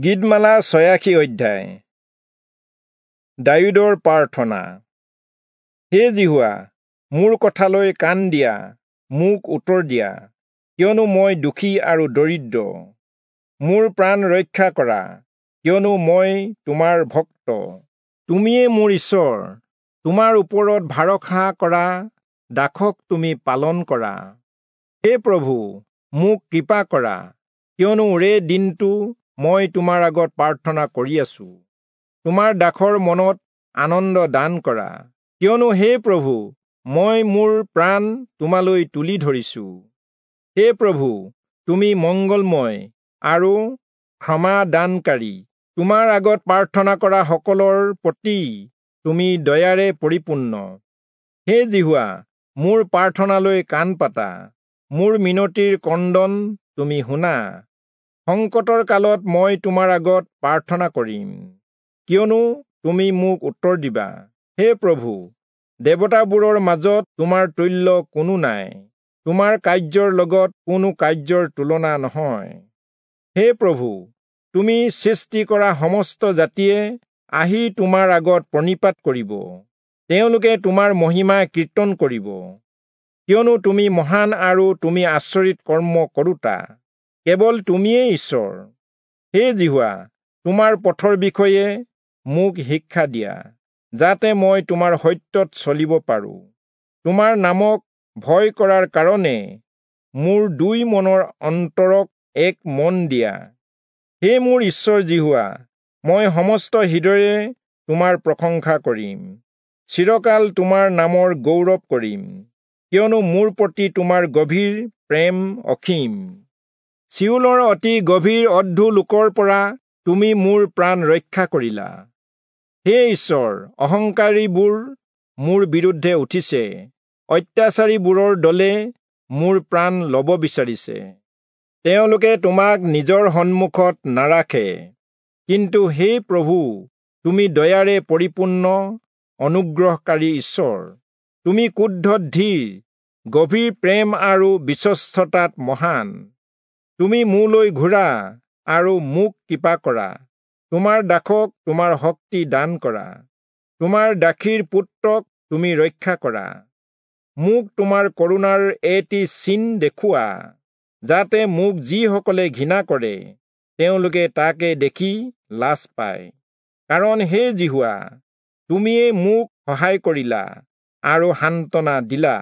গীতমালা ৮৬ অধ্যায়। দায়ূদৰ প্ৰাৰ্থনা। হে যিহোৱা, মোৰ কথালৈ কাণ দিয়া, মোক উত্তৰ দিয়া, কিয়নো মই দুখী আৰু দৰিদ্ৰ। মোৰ প্ৰাণ ৰক্ষা কৰা, কিয়নো মই তোমাৰ ভক্ত। তুমিয়ে মোৰ ঈশ্বৰ, তোমাৰ ওপৰত ভৰসা কৰা দাসক তুমি পালন কৰা। হে প্ৰভু, মোক কৃপা কৰা, কিয়নো ওৰে দিনটো মই তোমাৰ আগত প্ৰাৰ্থনা কৰি আছো। তোমাৰ দাসৰ মনত আনন্দ দান কৰা, কিয়নো হে প্ৰভু, মই মোৰ প্ৰাণ তোমালৈ তুলি ধৰিছো। হে প্ৰভু, তুমি মংগলময় আৰু ক্ষমা দানকাৰী, তোমাৰ আগত প্ৰাৰ্থনা কৰা সকলৰ প্ৰতি তুমি দয়াৰে পৰিপূৰ্ণ। হে যিহোৱা, মোৰ প্ৰাৰ্থনালৈ কাণ পাতা, মোৰ মিনতিৰ ক্ৰন্দন তুমি শুনা। সংকটৰ কালত মই তোমাৰ আগত প্ৰাৰ্থনা কৰিম, কিয়নো তুমি মোক উত্তৰ দিবা। হে প্ৰভু, দেৱতাবোৰৰ মাজত তোমাৰ তুল্য কোনো নাই, তোমাৰ কাৰ্যৰ লগত কোনো কাৰ্যৰ তুলনা নহয়। হে প্ৰভু, তুমি সৃষ্টি কৰা সমস্ত জাতিয়ে আহি তোমাৰ আগত প্ৰণিপাত কৰিব, তেওঁলোকে তোমাৰ মহিমা কীৰ্তন কৰিব। কিয়নো তুমি মহান আৰু তুমি আচৰিত কৰ্ম কৰোঁতা, কেৱল তুমিয়েই ঈশ্বৰ। হে যিহোৱা, তোমাৰ পথৰ বিষয়ে মোক শিক্ষা দিয়া, যাতে মই তোমাৰ সত্যত চলিব পাৰোঁ। তোমাৰ নামক ভয় কৰাৰ কাৰণে মোৰ দুই মনৰ অন্তৰক এক মন দিয়া। হে মোৰ ঈশ্বৰ যিহোৱা, মই সমস্ত হৃদয়েৰে তোমাৰ প্ৰশংসা কৰিম, চিৰকাল তোমাৰ নামৰ গৌৰৱ কৰিম, কিয়নো মোৰ প্ৰতি তোমাৰ গভীৰ প্ৰেম অসীম। চিয়োলৰ অতি গভীৰ অধোলোকৰ পৰা তুমি মোৰ প্ৰাণ ৰক্ষা কৰিলা। হে ঈশ্বৰ, অহংকাৰীবোৰ মোৰ বিৰুদ্ধে উঠিছে, অত্যাচাৰীবোৰৰ দলে মোৰ প্ৰাণ ল'ব বিচাৰিছে। তেওঁলোকে তোমাক নিজৰ সন্মুখত নাৰাখে। কিন্তু হে প্ৰভু, তুমি দয়াৰে পৰিপূৰ্ণ, অনুগ্ৰহকাৰী ঈশ্বৰ। তুমি ক্ৰোধত ধীৰ, গভীৰ প্ৰেম আৰু বিশ্বস্ততাত মহান। তুমি মোলৈ ঘূৰা আৰু মোক কৃপা কৰা, তোমাৰ দাসক তোমাৰ শক্তি দান কৰা, তোমাৰ দাসীৰ পুত্ৰক তুমি ৰক্ষা কৰা। মোক তোমাৰ কৰুণাৰ এটি চিন দেখুওৱা, যাতে মোক যিসকলে ঘৃণা কৰে তেওঁলোকে তাকে দেখি লাজ পায়। কাৰণ হে যিহোৱা, তুমিয়েই মোক সহায় কৰিলা আৰু সান্তনা দিলা।